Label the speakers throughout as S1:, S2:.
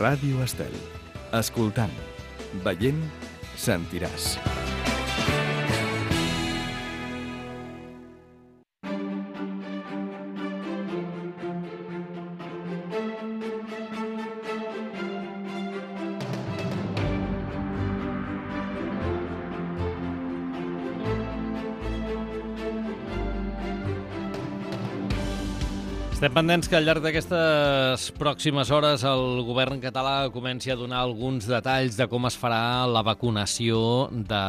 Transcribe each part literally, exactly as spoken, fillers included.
S1: Ràdio Estel. Escoltant, veient, sentiràs.
S2: Estem pendents que al llarg d'aquestes pròximes hores el govern català comenci a donar alguns detalls de com es farà la vacunació de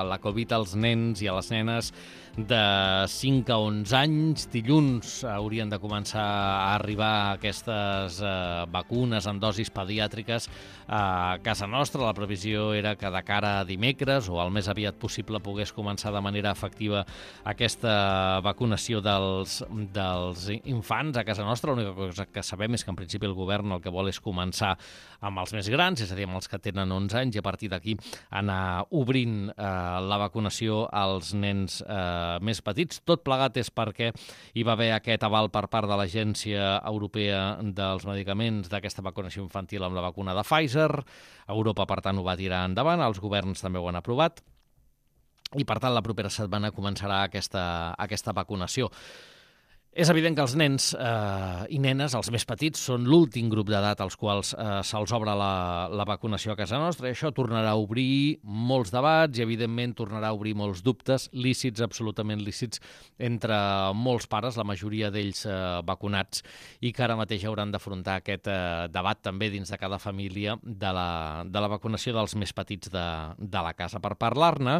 S2: la Covid als nens i a les nenes de cinc a onze anys. Dilluns haurien de començar a arribar aquestes eh, vacunes en dosis pediàtriques a casa nostra. La previsió era que de cara a dimecres o al més aviat possible pogués començar de manera efectiva aquesta vacunació dels, dels infants a casa nostra. L'única cosa que sabem és que en principi el govern el que vol és començar amb els més grans, és a dir, amb els que tenen onze anys, i a partir d'aquí anar obrint eh, la vacunació als nens eh, més petits. Tot plegat és perquè hi va haver aquest aval per part de l'Agència Europea dels Medicaments d'aquesta vacunació infantil amb la vacuna de Pfizer. Europa, per tant, ho va tirar endavant, els governs també ho han aprovat i, per tant, la propera setmana començarà aquesta, aquesta vacunació. És evident que els nens eh, i nenes, els més petits, són l'últim grup d'edat als quals eh, se'ls obre la, la vacunació a casa nostra, i això tornarà a obrir molts debats i, evidentment, tornarà a obrir molts dubtes, lícits, absolutament lícits, entre molts pares, la majoria d'ells eh, vacunats, i que ara mateix hauran d'afrontar aquest eh, debat també dins de cada família de la, de la vacunació dels més petits de, de la casa. Per parlar-ne,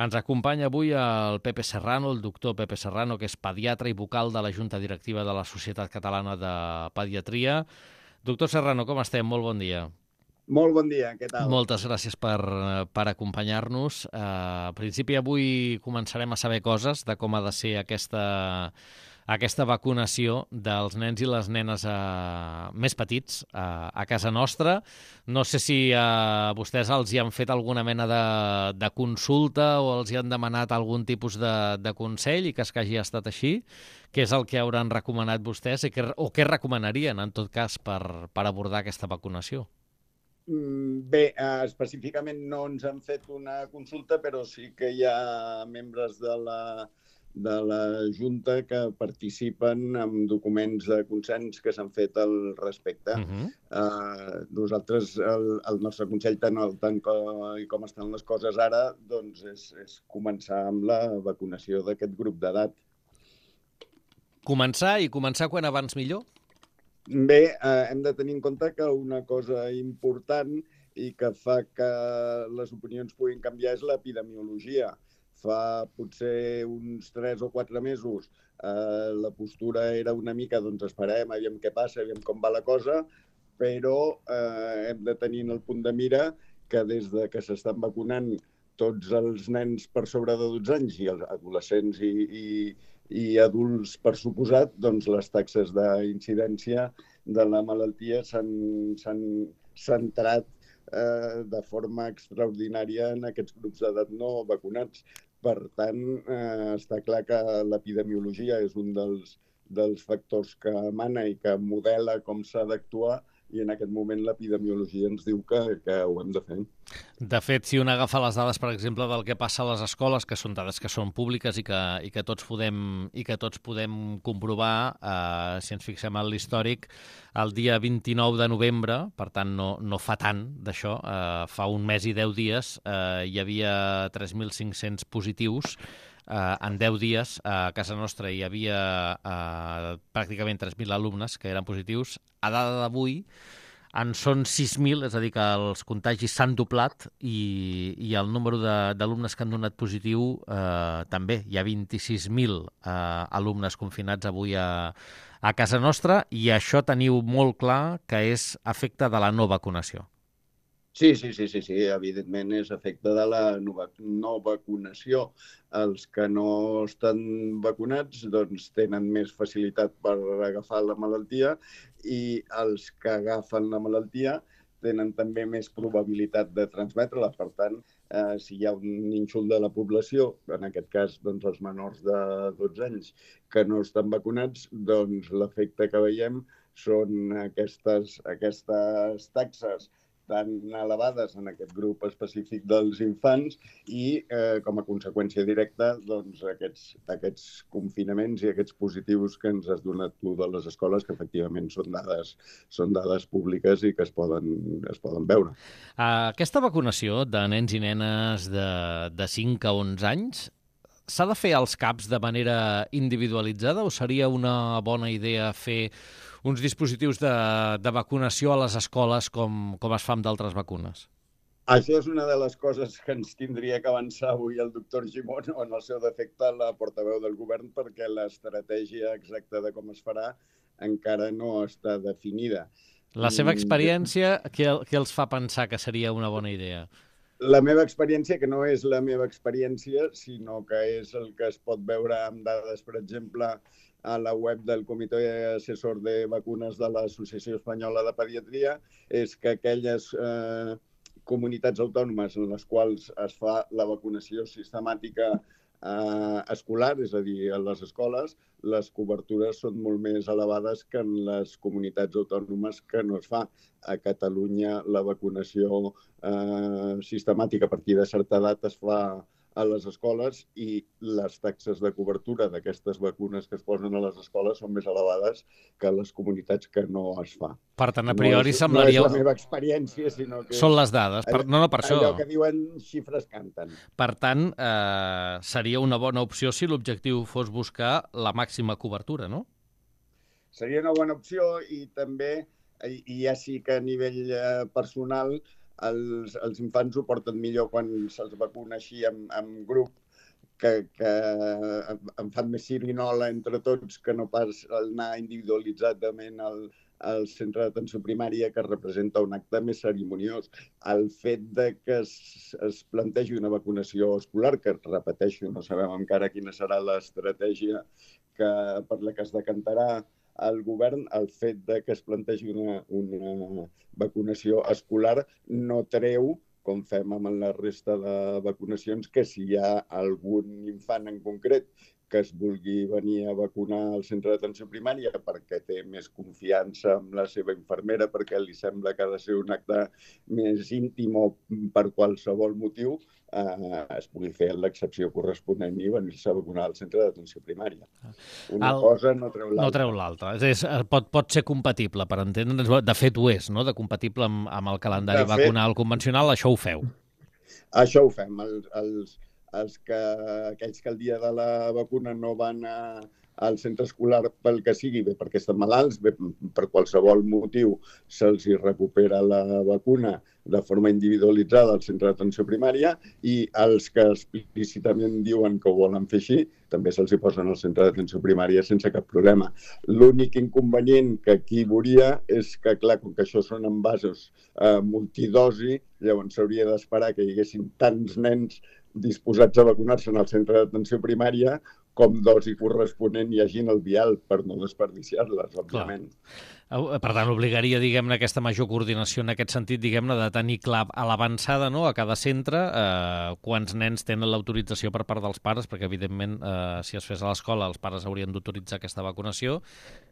S2: ens acompanya avui el Pepe Serrano, el doctor Pepe Serrano, que és pediatre i vocal de la Junta Directiva de la Societat Catalana de Pediatria. Doctor Serrano, com estem? Molt bon dia.
S3: Molt bon dia, què tal?
S2: Moltes gràcies per, per acompanyar-nos. Uh, a principi avui començarem a saber coses de com ha de ser aquesta, aquesta vacunació dels nens i les nenes uh, més petits uh, a casa nostra. No sé si a vostès els hi han fet alguna mena de, de consulta o els hi han demanat algun tipus de, de consell, i que es que hagi estat així. Què és el que hauran recomanat vostès i que, o què recomanarien, en tot cas, per, per abordar aquesta vacunació?
S3: Bé, específicament no ens han fet una consulta, però sí que hi ha membres de la, de la Junta que participen en documents de consens que s'han fet al respecte. Uh-huh. uh, nosaltres, el, el nostre consell, tant, el, tant com, com estan les coses ara, doncs és, és començar amb la vacunació d'aquest grup d'edat.
S2: Començar i començar quan abans millor?
S3: Bé, eh, hem de tenir en compte que una cosa important i que fa que les opinions puguin canviar és l'epidemiologia. Fa potser uns tres o quatre mesos eh, la postura era una mica, doncs esperem, aviam què passa, aviam com va la cosa, però eh, hem de tenir en el punt de mira que des de que s'estan vacunant tots els nens per sobre de dotze anys i els adolescents i, i i adults, per suposat, doncs les taxes d'incidència de la malaltia s'han centrat eh, de forma extraordinària en aquests grups d'edat no vacunats. Per tant, eh, està clar que l'epidemiologia és un dels, dels factors que mana i que modela com s'ha d'actuar, i en aquest moment l'epidemiologia ens diu que, que ho hem de fer.
S2: De fet, si un agafa les dades, per exemple, del que passa a les escoles, que són dades que són públiques i que, i que, tots, podem, i que tots podem comprovar, eh, si ens fixem en l'històric, el dia vint-i-nou de novembre, per tant no, no fa tant d'això, eh, fa un mes i deu dies, eh, hi havia tres mil cinc-cents positius. Uh, en deu dies uh, a casa nostra hi havia uh, pràcticament tres mil alumnes que eren positius. A data d'avui en són sis mil, és a dir, que els contagis s'han doblat, i, i el número d'alumnes que han donat positiu uh, també. Hi ha vint-i-sis mil uh, alumnes confinats avui a, a casa nostra, i això teniu molt clar que és efecte de la no vacunació.
S3: Sí, sí, sí, sí, sí, evidentment és efecte de la no vacunació. Els que no estan vacunats doncs, tenen més facilitat per agafar la malaltia, i els que agafen la malaltia tenen també més probabilitat de transmetre-la. Per tant, eh, si hi ha un nínxol de la població, en aquest cas doncs, els menors de dotze anys, que no estan vacunats, doncs l'efecte que veiem són aquestes, aquestes taxes tan elevades en aquest grup específic dels infants i, eh, com a conseqüència directa, doncs, aquests, aquests confinaments i aquests positius que ens has donat tu de les escoles, que efectivament són dades, són dades públiques i que es poden, es poden veure.
S2: Aquesta vacunació de nens i nenes de, de cinc a onze anys s'ha de fer als CAPs de manera individualitzada o seria una bona idea fer uns dispositius de, de vacunació a les escoles com, com es fa amb d'altres vacunes?
S3: Això és una de les coses que ens tindria que avançar avui el doctor Gimón, o en el seu defecte la portaveu del govern, perquè l'estratègia exacta de com es farà encara no està definida.
S2: La seva experiència, què, què els fa pensar que seria una bona idea?
S3: La meva experiència, que no és la meva experiència, sinó que és el que es pot veure amb dades, per exemple, a la web del Comitè Assessor de Vacunes de l'Associació Espanyola de Pediatria, és que aquelles eh, comunitats autònomes en les quals es fa la vacunació sistemàtica eh, escolar, és a dir, a les escoles, les cobertures són molt més elevades que en les comunitats autònomes que no es fa. A Catalunya la vacunació eh, sistemàtica a partir de certa edat es fa a les escoles i les taxes de cobertura d'aquestes vacunes que es posen a les escoles són més elevades que a les comunitats que no es fa.
S2: Per tant, a priori
S3: no és,
S2: semblaria...
S3: No és la meva experiència, sinó que...
S2: Són les dades. Per... No, no, per això...
S3: Allò que diuen xifres canten.
S2: Per tant, eh, seria una bona opció si l'objectiu fos buscar la màxima cobertura, no?
S3: Seria una bona opció i també, i ja sí que a nivell eh, personal, Els, els infants ho porten millor quan se'ls vacuna així en, en grup, que, que em fan més sirinola entre tots que no pas anar individualitzadament al, al centre d'atenció primària, que representa un acte més cerimoniós. El fet de que es, es plantegi una vacunació escolar, que repeteixo, no sabem encara quina serà l'estratègia que, per la que es decantarà el govern, el fet de que es plantegi una, una vacunació escolar no treu, com fem amb la resta de vacunacions, que si hi ha algun infant en concret que es vulgui venir a vacunar al centre d'atenció primària perquè té més confiança amb la seva infermera, perquè li sembla que ha de ser un acte més íntim o per qualsevol motiu, eh, es pugui fer l'excepció corresponent i venir-se a vacunar al centre d'atenció primària. Una el... cosa no treu l'altra.
S2: No treu l'altra. És, pot, pot ser compatible, per entendre'ns. De fet, ho és, no? De compatible amb, amb el calendari fet, vacunal convencional, això ho feu.
S3: Això ho fem. El, els... Els que, aquells que el dia de la vacuna no van a, al centre escolar pel que sigui, bé perquè estan malalts, bé per qualsevol motiu se'ls hi recupera la vacuna de forma individualitzada al centre d'atenció primària, i els que explícitament diuen que ho volen fer així, també se'ls hi posen al centre d'atenció primària sense cap problema. L'únic inconvenient que aquí veuria és que, clar, com que això són envasos eh, multidosi, llavors s'hauria d'esperar que hi haguessin tants nens disposats a vacunar-se en el centre d'atenció primària com dosi corresponent hi hagi en el vial, per no desperdiciar-les, òbviament.
S2: Clar. Per tant, obligaria, diguem-ne, aquesta major coordinació en aquest sentit, diguem-ne, de tenir clar a l'avançada, no?, a cada centre, eh, quants nens tenen l'autorització per part dels pares, perquè, evidentment, eh, si es fes a l'escola, els pares haurien d'autoritzar aquesta vacunació.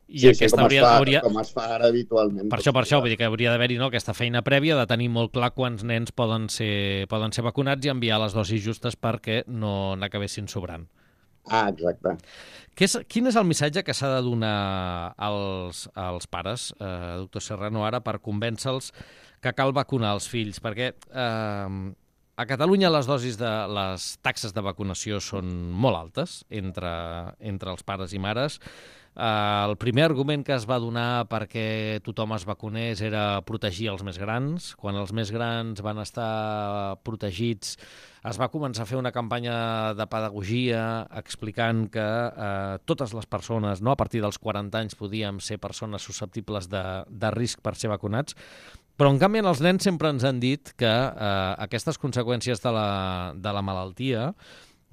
S2: I
S3: sí,
S2: aquesta
S3: sí, com,
S2: hauria,
S3: es fa,
S2: hauria...
S3: com es fa ara habitualment.
S2: Per això, per això, vull dir que hauria d'haver-hi, no, aquesta feina prèvia de tenir molt clar quants nens poden ser, poden ser vacunats i enviar les dosis justes perquè no n'acabessin sobrant.
S3: Ah, exacte.
S2: Què és, quin és el missatge que s'ha de donar als, als pares, eh, doctor Serrano, ara per convèncer-los que cal vacunar els fills? Perquè eh, a Catalunya les dosis de les taxes de vacunació són molt altes entre, entre els pares i mares. Uh, el primer argument que es va donar perquè tothom es vacunés era protegir els més grans. Quan els més grans van estar protegits, es va començar a fer una campanya de pedagogia explicant que uh, totes les persones, no, a partir dels quaranta anys, podíem ser persones susceptibles de, de risc per ser vacunats. Però, en canvi, els nens sempre ens han dit que uh, aquestes conseqüències de la, de la malaltia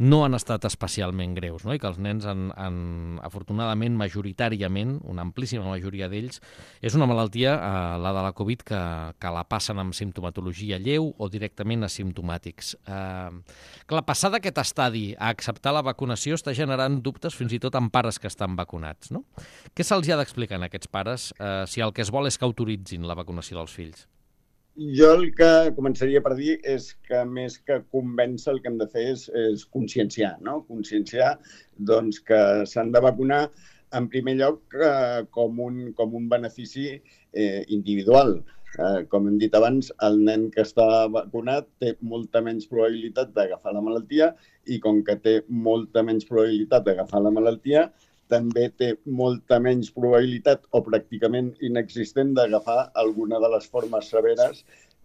S2: no han estat especialment greus, no? I que els nens, han, han, afortunadament, majoritàriament, una amplíssima majoria d'ells, és una malaltia, eh, la de la Covid, que, que la passen amb simptomatologia lleu o directament asimptomàtics. Eh, clar, passar d'aquest estadi a acceptar la vacunació està generant dubtes fins i tot en pares que estan vacunats, no? Què se'ls ha d'explicar a aquests pares eh, si el que es vol és que autoritzin la vacunació dels fills?
S3: Jo el que començaria per dir és que més que convèncer el que hem de fer és, és conscienciar, no? Conscienciar doncs, que s'han de vacunar en primer lloc eh, com, un, com un benefici eh, individual. Eh, com hem dit abans, el nen que està vacunat té molta menys probabilitat d'agafar la malaltia i com que té molta menys probabilitat d'agafar la malaltia, també té molta menys probabilitat o pràcticament inexistent d'agafar alguna de les formes severes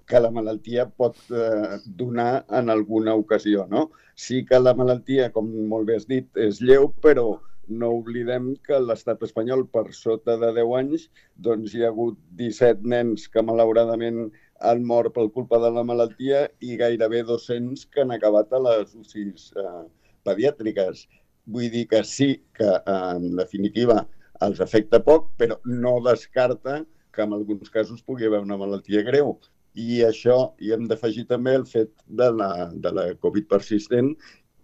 S3: que la malaltia pot eh, donar en alguna ocasió, no? Sí que la malaltia, com molt bé has dit, és lleu, però no oblidem que a l'estat espanyol, per sota de deu anys, doncs hi ha hagut disset nens que malauradament han mort per culpa de la malaltia i gairebé dos-cents que han acabat a les U C Is eh, pediàtriques. Vull dir que sí que, en definitiva, els afecta poc, però no descarta que en alguns casos pugui haver una malaltia greu. I això hi hem d'afegir també el fet de la, de la Covid persistent,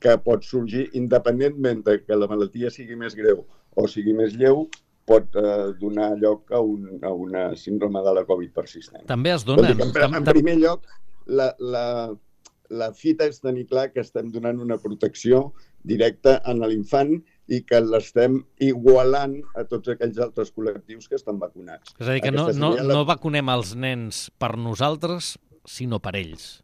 S3: que pot sorgir independentment de que la malaltia sigui més greu o sigui més lleu, pot eh, donar lloc a, un, a una síndrome de la Covid persistent.
S2: També es donen...
S3: En, en primer lloc, la, la, la fita és tenir clar que estem donant una protecció directa a l'infant i que l'estem igualant a tots aquells altres col·lectius que estan vacunats.
S2: És a dir, que no, no, la... no vacunem els nens per nosaltres, sinó per ells.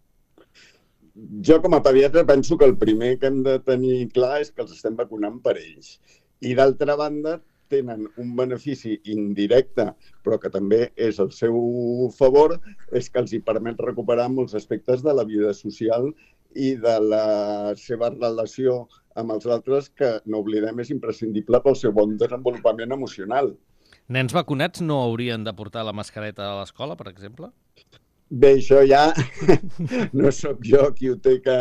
S3: Jo, com a pediatre, penso que el primer que hem de tenir clar és que els estem vacunant per ells. I, d'altra banda, tenen un benefici indirecte, però que també és al seu favor, és que els hi permet recuperar molts aspectes de la vida social i de la seva relació amb els altres, que, no oblidem, és imprescindible pel seu bon desenvolupament emocional.
S2: Nens vacunats no haurien de portar la mascareta a l'escola, per exemple?
S3: Bé, això ja no sóc jo qui ho té que,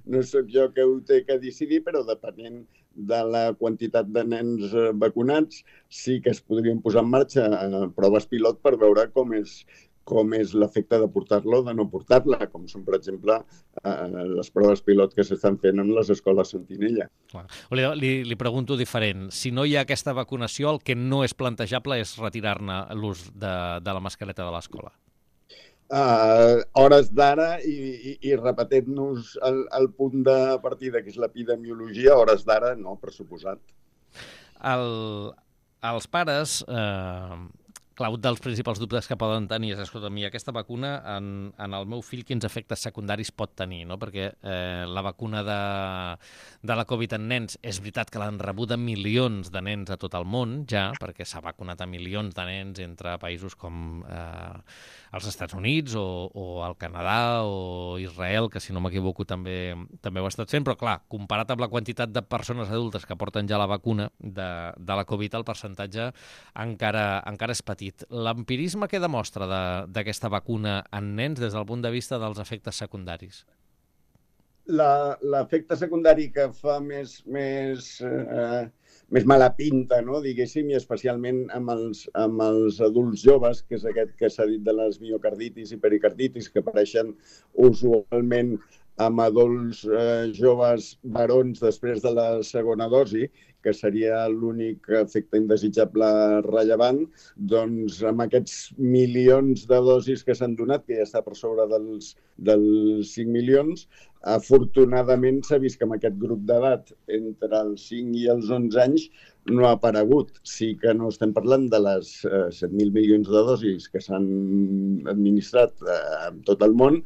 S3: no sóc jo que ho té que decidir, però depenent de la quantitat de nens vacunats, sí que es podrien posar en marxa proves pilot per veure com és com és l'efecte de portar-la o de no portar-la, com són, per exemple, eh, les proves pilot que s'estan fent en les escoles Sentinella.
S2: Li, li, li pregunto diferent. Si no hi ha aquesta vacunació, el que no és plantejable és retirar-ne l'ús de, de la mascareta de l'escola.
S3: Uh, hores d'ara i, i, i repetint-nos el, el punt de partida, que és l'epidemiologia, hores d'ara no, per suposat.
S2: El, els pares... Eh... Clar, un dels principals dubtes que poden tenir és, escolta, mi, aquesta vacuna en, en el meu fill quins efectes secundaris pot tenir, no? Perquè eh, la vacuna de, de la Covid en nens és veritat que l'han rebut a milions de nens a tot el món, ja, perquè s'ha vacunat a milions de nens entre països com eh, els Estats Units o, o el Canadà o Israel, que si no m'equivoco també, també ho ha estat fent, però clar, comparat amb la quantitat de persones adultes que porten ja la vacuna de, de la Covid, el percentatge encara, encara és petit. L'empirisme què demostra d'aquesta de, vacuna en nens des del punt de vista dels efectes secundaris?
S3: L'efecte secundari que fa més, més, eh, més mala pinta, no? Diguéssim, i especialment amb els, amb els adults joves, que és aquest que s'ha dit de les miocarditis i pericarditis, que apareixen usualment amb adults eh, joves varons després de la segona dosi, que seria l'únic efecte indesitjable rellevant, doncs amb aquests milions de dosis que s'han donat, que ja està per sobre dels, dels cinc milions, afortunadament s'ha vist que amb aquest grup d'edat, entre els cinc i els onze anys, no ha aparegut. Sí que no estem parlant de les eh, set mil milions de dosis que s'han administrat eh, en tot el món,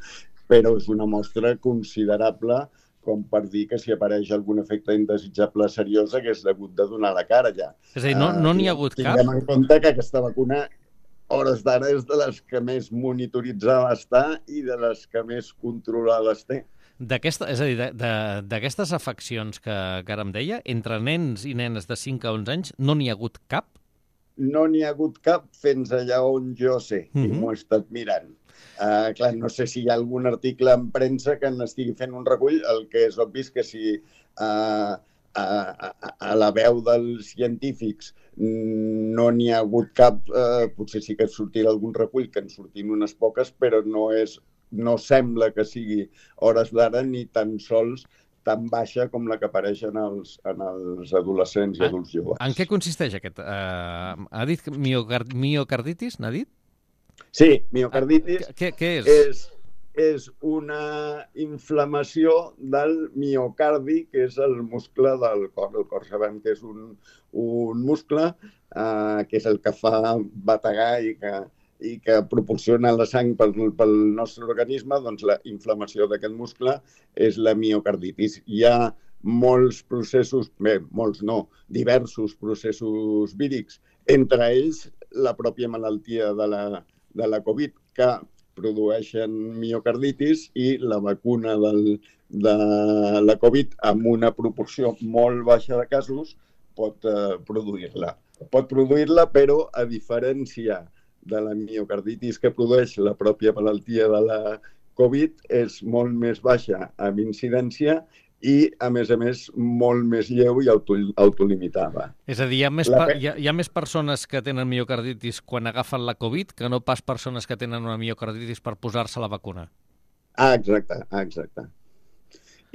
S3: però és una mostra considerable com per dir que si apareix algun efecte indesitjable seriós hagués hagut de donar la cara ja.
S2: És a dir, no n'hi no ha hagut cap?
S3: Tinguem en compte que aquesta vacuna, hores d'ara, és de les que més monitoritzada està i de les que més controlades té.
S2: D'aquesta, és a dir, d'aquestes afeccions que, que ara em deia, entre nens i nenes de cinc a onze anys, no n'hi ha hagut cap?
S3: No n'hi ha hagut cap fins allà on jo sé, mm-hmm. i m'ho he estat mirant. Uh, clar, no sé si hi ha algun article en premsa que n'estigui fent un recull. El que és obvi és que si a, a, a, a la veu dels científics no n'hi ha hagut cap, eh, potser sí que sortirà algun recull, que en sortin unes poques, però no és, no sembla que sigui hores d'ara ni tan sols tan baixa com la que apareix en els, en els adolescents i adults joves.
S2: En què consisteix aquest? Uh, ha dit miocard miocarditis, n'ha dit?
S3: Sí, miocarditis.
S2: Què, què és?
S3: és? És una inflamació del miocardi, que és el muscle del cor. El cor sabem que és un, un muscle eh, que és el que fa bategar i que, i que proporciona la sang pel, pel nostre organisme, doncs la inflamació d'aquest muscle és la miocarditis. Hi ha molts processos, bé, molts no, diversos processos vírics, entre ells la pròpia malaltia de la, de la Covid, que produeixen miocarditis, i la vacuna del, de la Covid, amb una proporció molt baixa de casos, pot eh, produir-la. Pot produir-la, però a diferència de la miocarditis que produeix la pròpia malaltia de la Covid, és molt més baixa amb incidència i, a més a més, molt més lleu i auto, autolimitada.
S2: És a dir, hi ha, més la... hi, ha, hi ha més persones que tenen miocarditis quan agafen la Covid que no pas persones que tenen una miocarditis per posar-se la vacuna.
S3: Ah, exacte, ah, exacte.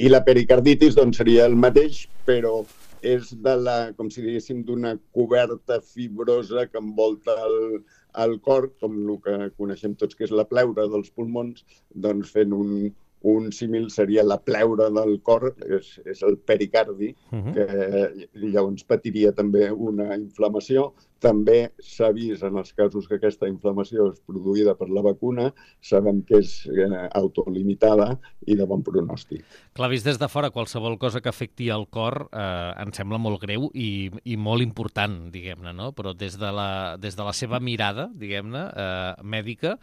S3: I la pericarditis, doncs, seria el mateix, però és de la, com si diguéssim, d'una coberta fibrosa que envolta el, el cor, com el que coneixem tots, que és la pleura dels pulmons, doncs fent un, un símil seria la pleura del cor, és, és el pericardi, uh-huh. que llavors patiria també una inflamació. També s'ha vist en els casos que aquesta inflamació és produïda per la vacuna, sabem que és eh, autolimitada i de bon pronòstic.
S2: Clar, vist des de fora, qualsevol cosa que afecti el cor eh, em sembla molt greu i, i molt important, diguem-ne, no? Però des de la, des de la seva mirada, diguem-ne, eh, mèdica,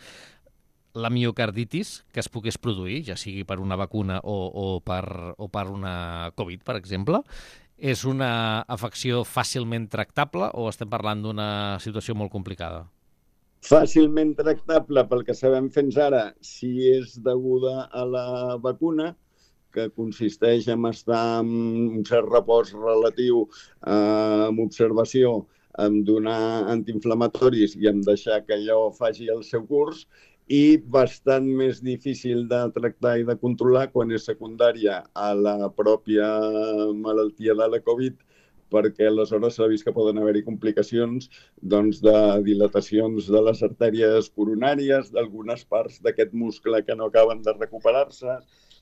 S2: la miocarditis que es pogués produir, ja sigui per una vacuna o, o, per, o per una Covid, per exemple, és una afecció fàcilment tractable o estem parlant d'una situació molt complicada?
S3: Fàcilment tractable, pel que sabem fins ara, si és deguda a la vacuna, que consisteix en estar en un cert repòs relatiu, eh, amb observació, en donar antiinflamatoris i en deixar que allò faci el seu curs, i bastant més difícil de tractar i de controlar quan és secundària a la pròpia malaltia de la Covid, perquè aleshores s'ha vist que poden haver-hi complicacions doncs, de dilatacions de les artèries coronàries, d'algunes parts d'aquest muscle que no acaben de recuperar-se.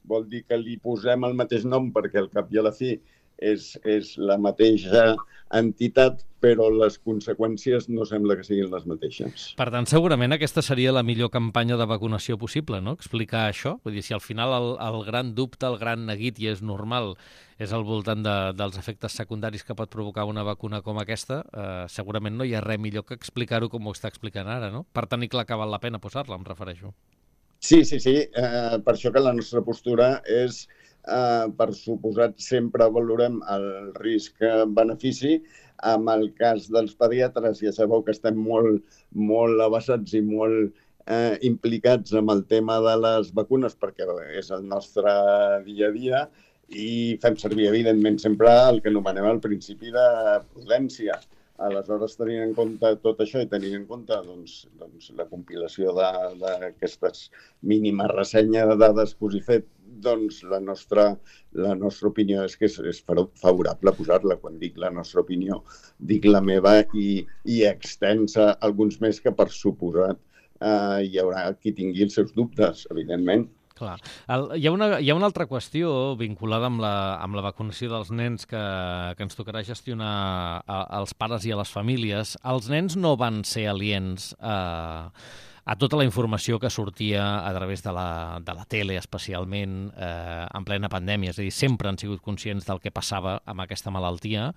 S3: Vol dir que li posem el mateix nom perquè al cap i a la fi és, és la mateixa entitat, però les conseqüències no sembla que siguin les mateixes.
S2: Per tant, segurament aquesta seria la millor campanya de vacunació possible, no? Explicar això. Vull dir, si al final el, el gran dubte, el gran neguit, i és normal, és al voltant de, dels efectes secundaris que pot provocar una vacuna com aquesta, eh, segurament no hi ha res millor que explicar-ho com ho està explicant ara, no? Per tenir clar que val la pena posar-la, em refereixo.
S3: Sí, sí, sí. Eh, per això que la nostra postura és, eh, per suposat, sempre valorem el risc-benefici. En el cas dels pediatres, ja sabeu que estem molt, molt avançats i molt eh, implicats amb el tema de les vacunes, perquè és el nostre dia a dia, i fem servir, evidentment, sempre el que anomenem el principi de prudència. Aleshores, tenint en compte tot això i tenint en compte doncs, doncs, la compilació d'aquestes mínimes ressenyes de dades que us he fet, doncs la nostra, la nostra opinió és que és, és favorable posar-la. Quan dic la nostra opinió, dic la meva i, i extensa, alguns més que per suposat eh, hi haurà qui tingui els seus dubtes, evidentment.
S2: Clar. El, hi, ha una, hi ha una altra qüestió vinculada amb la, amb la vacunació dels nens que, que ens tocarà gestionar a, als pares i a les famílies. Els nens no van ser aliens a, a tota la informació que sortia a través de la, de la tele, especialment eh, en plena pandèmia. És a dir, sempre han sigut conscients del que passava amb aquesta malaltia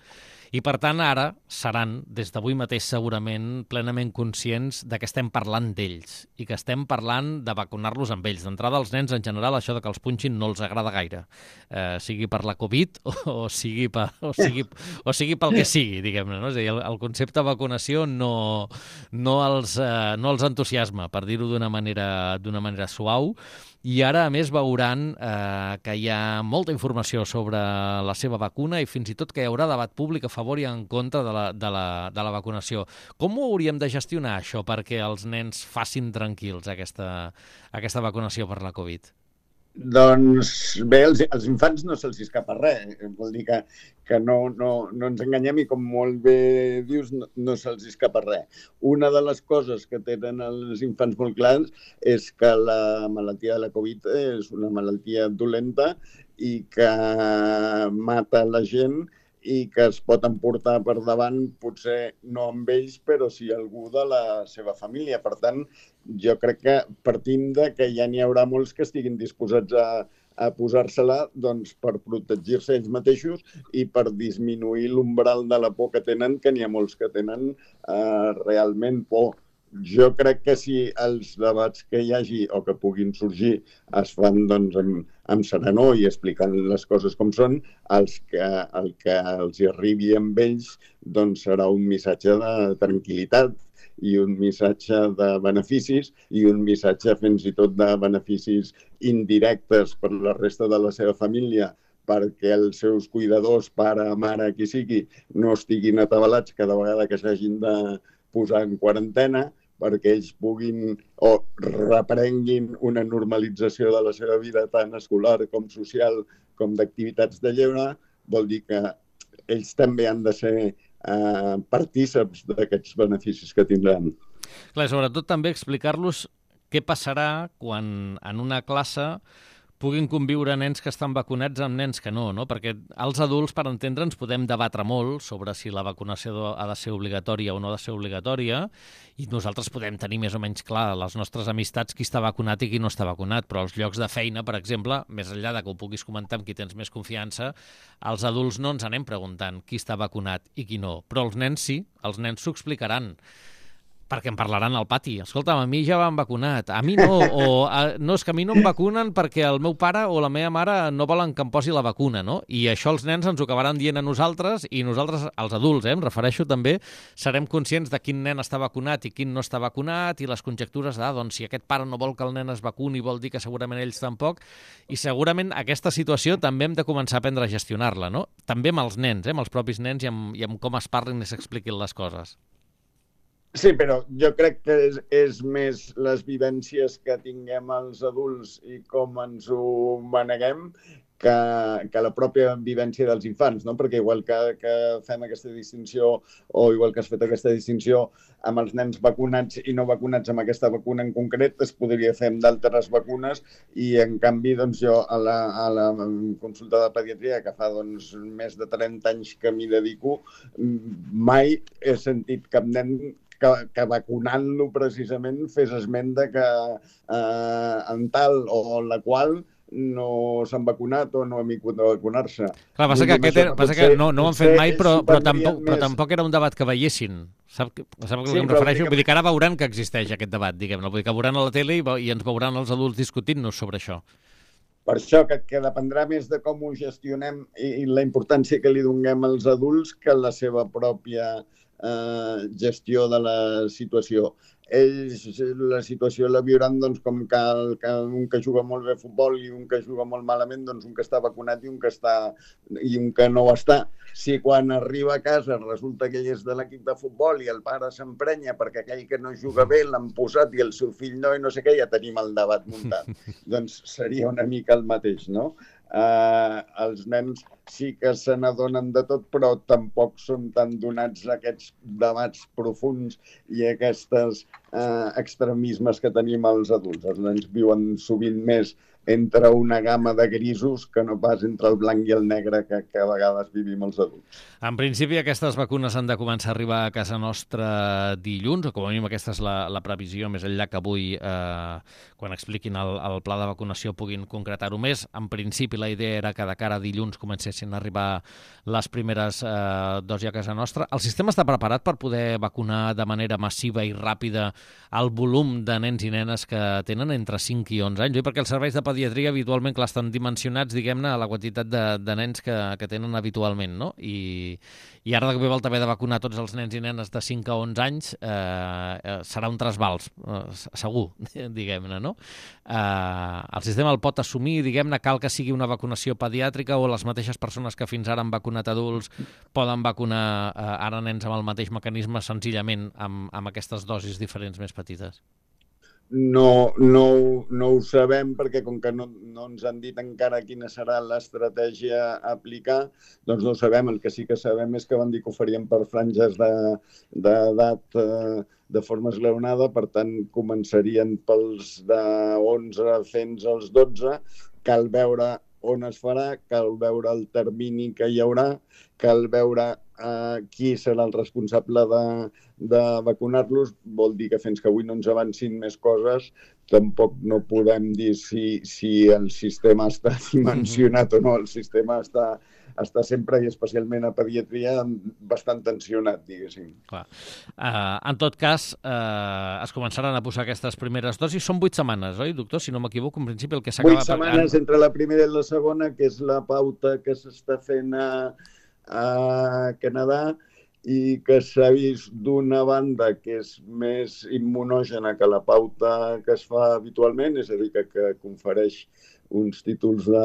S2: i, per tant, ara seran, des d'avui mateix segurament, plenament conscients de que estem parlant d'ells i que estem parlant de vacunar-los amb ells. D'entrada, als nens, en general, això de que els punxin no els agrada gaire, eh, sigui per la Covid o, o, sigui per, o, sigui, o sigui pel que sigui, diguem-ne. No? És a dir, el, el concepte de vacunació no, no, els, eh, no els entusiasma. optimisme, per dir-ho d'una manera, d'una manera suau, i ara, a més, veuran eh, que hi ha molta informació sobre la seva vacuna i fins i tot que hi haurà debat públic a favor i en contra de la, de la, de la vacunació. Com ho hauríem de gestionar, això, perquè els nens facin tranquils aquesta, aquesta vacunació per la Covid?
S3: Doncs bé, els, els infants no se'ls escapa res. Vol dir que, que no, no, no ens enganyem i, com molt bé dius, no, no se'ls escapa res. Una de les coses que tenen els infants molt clars és que la malaltia de la Covid és una malaltia dolenta i que mata la gent i que es pot emportar per davant, potser no amb ells, però sí algú de la seva família. Per tant, jo crec que partim de que ja n'hi haurà molts que estiguin disposats a, a posar-se-la doncs, per protegir-se ells mateixos i per disminuir l'umbral de la por que tenen, que n'hi ha molts que tenen eh, realment por. Jo crec que si els debats que hi hagi o que puguin sorgir es fan doncs, amb, amb serenor i explicant les coses com són, els que, el que els hi arribi amb ells doncs, serà un missatge de tranquil·litat i un missatge de beneficis i un missatge fins i tot de beneficis indirectes per la resta de la seva família, perquè els seus cuidadors, pare, mare, qui sigui, no estiguin atabalats cada vegada que s'hagin de posar en quarantena, perquè ells puguin o reprenguin una normalització de la seva vida tant escolar com social com d'activitats de lleure, vol dir que ells també han de ser eh, partíceps d'aquests beneficis que tindran.
S2: Clar, sobretot també explicar-los què passarà quan en una classe puguin conviure nens que estan vacunats amb nens que no, no? Perquè els adults, per entendre'ns, podem debatre molt sobre si la vacunació ha de ser obligatòria o no ha de ser obligatòria, i nosaltres podem tenir més o menys clar les nostres amistats qui està vacunat i qui no està vacunat, però als llocs de feina, per exemple, més enllà de que ho puguis comentar amb qui tens més confiança, els adults no ens anem preguntant qui està vacunat i qui no, però els nens sí, els nens s'ho explicaran, perquè en parlaran al pati. Escolta'm, a mi ja m'han vacunat, a mi no, o a, no, és que a mi no em vacunen perquè el meu pare o la meva mare no volen que em posi la vacuna, no? I això els nens ens ho acabaran dient a nosaltres i nosaltres, els adults, eh, em refereixo també, serem conscients de quin nen està vacunat i quin no està vacunat i les conjectures de, ah, doncs si aquest pare no vol que el nen es vacuni vol dir que segurament ells tampoc, i segurament aquesta situació també hem de començar a aprendre a gestionar-la, no? També amb els nens, eh, amb els propis nens i amb, i amb com es parlin i s'expliquin les coses.
S3: Sí, però jo crec que és, és més les vivències que tinguem els adults i com ens ho maneguem que, que la pròpia vivència dels infants, no? Perquè igual que, que fem aquesta distinció o igual que has fet aquesta distinció amb els nens vacunats i no vacunats amb aquesta vacuna en concret, es podria fer amb d'altres vacunes i, en canvi, doncs, jo a la, a la consulta de pediatria, que fa doncs, més de trenta anys que m'hi dedico, mai he sentit cap nen que, que vacunant-lo precisament fes esment de que eh, en tal o la qual no s'han vacunat o no han vingut a vacunar-se.
S2: Clar, passa que, aquest era, passa que no, no ho han fet mai, però, però, tampoc, però tampoc era un debat que veiessin. Sap, sap a què sí, em refereixo? Que... Vull dir que ara veuran que existeix aquest debat, diguem-ne. Vull dir que veuran a la tele i, i ens veuran els adults discutint-nos sobre això.
S3: Per això que, que dependrà més de com ho gestionem i, i la importància que li donem als adults que la seva pròpia eh, gestió de la situació. Ells la situació la viuran doncs, com que, el, que un que juga molt bé a futbol i un que juga molt malament, doncs un que està vacunat i un que, està, i un que no ho està. Si quan arriba a casa resulta que ell és de l'equip de futbol i el pare s'emprenya perquè aquell que no juga bé l'han posat i el seu fill no i no sé què, ja tenim el debat muntat. Doncs seria una mica el mateix, no? Uh, els nens sí que se n'adonen de tot, però tampoc són tan donats a aquests debats profunds i a aquests uh, extremismes que tenim els adults. Els nens viuen sovint més entre una gamma de grisos que no pas entre el blanc i el negre que, que a vegades vivim els adults.
S2: En principi, aquestes vacunes han de començar a arribar a casa nostra dilluns, o com a mínim aquesta és la, la previsió, més enllà que avui, eh, quan expliquin el, el pla de vacunació, puguin concretar-ho més. En principi, la idea era que de cara a dilluns comencessin a arribar les primeres eh, dosis a casa nostra. El sistema està preparat per poder vacunar de manera massiva i ràpida el volum de nens i nenes que tenen entre cinc i onze anys, oi? Perquè els serveis de pediatria pediatria habitualment, clar, estan dimensionats, diguem-ne, a la quantitat de, de nens que, que tenen habitualment, no? I, i ara de cop i volta haver de vacunar tots els nens i nenes de cinc a onze anys eh, serà un trasbals, eh, segur, diguem-ne, no? Eh, el sistema el pot assumir, diguem-ne, cal que sigui una vacunació pediàtrica o les mateixes persones que fins ara han vacunat adults poden vacunar eh, ara nens amb el mateix mecanisme senzillament amb, amb aquestes dosis diferents més petites?
S3: No, no, no ho sabem perquè com que no, no ens han dit encara quina serà l'estratègia a aplicar, doncs no ho sabem. El que sí que sabem és que van dir que ho farien per franges d'edat de, eh, de forma esglaonada, per tant començarien pels de onze fins als dotze, cal veure on es farà, cal veure el termini que hi haurà, cal veure eh, qui serà el responsable de, de vacunar-los. Vol dir que fins que avui no ens avancin més coses, tampoc no podem dir si, si el sistema està dimensionat o no. El sistema està, està sempre, i especialment a pediatria, bastant tensionat, diguéssim.
S2: Clar. Uh, en tot cas, uh, es començaran a posar aquestes primeres dosis. Són vuit setmanes, oi, doctor? Si no m'equivoco, en principi el que s'acaba...
S3: Vuit setmanes entre la primera i la segona, que és la pauta que s'està fent a, a Canadà i que s'ha vist d'una banda que és més immunògena que la pauta que es fa habitualment, és a dir, que, que confereix uns títols de,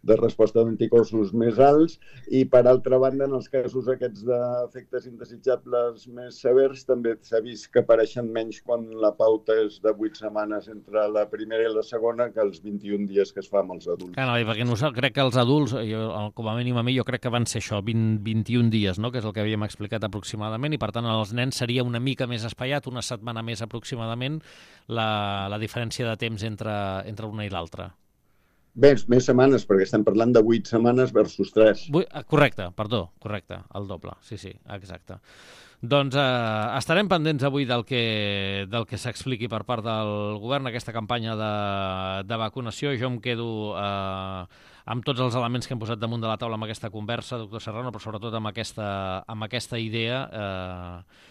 S3: de resposta d'anticossos més alts, i per altra banda, en els casos aquests d'efectes indesitjables més severs, també s'ha vist que apareixen menys quan la pauta és de vuit setmanes entre la primera i la segona que els vint-i-un dies que es fa amb els adults.
S2: Ah, no, perquè no, crec que els adults, jo, com a mínim a mi, jo crec que van ser això, vint, vint-i-un dies, no? Que és el que havíem explicat aproximadament, i per tant als nens seria una mica més espaiat, una setmana més aproximadament, la, la diferència de temps entre, entre una i l'altra.
S3: Bé, més setmanes, perquè estem parlant de vuit setmanes versus tres.
S2: Correcte, perdó, correcte, el doble, sí, sí, exacte. Doncs eh, estarem pendents avui del que, del que s'expliqui per part del govern, aquesta campanya de, de vacunació. Jo em quedo eh, amb tots els elements que hem posat damunt de la taula amb aquesta conversa, doctor Serrano, però sobretot amb aquesta, amb aquesta idea. Eh,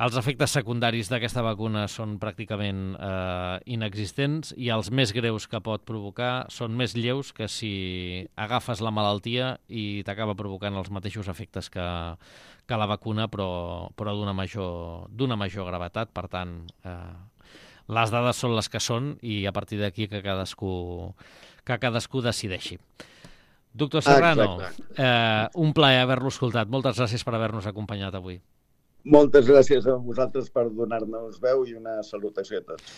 S2: Els efectes secundaris d'aquesta vacuna són pràcticament eh, inexistents, i els més greus que pot provocar són més lleus que si agafes la malaltia i t'acaba provocant els mateixos efectes que, que la vacuna, però, però d'una major, d'una major gravetat. Per tant, eh, les dades són les que són, i a partir d'aquí que cadascú, que cadascú decideixi. Doctor Serrano, eh, un plaer haver-lo escoltat. Moltes gràcies per haver-nos acompanyat avui.
S3: Moltes gràcies a vosaltres per donar-nos veu, i una salutació a tots.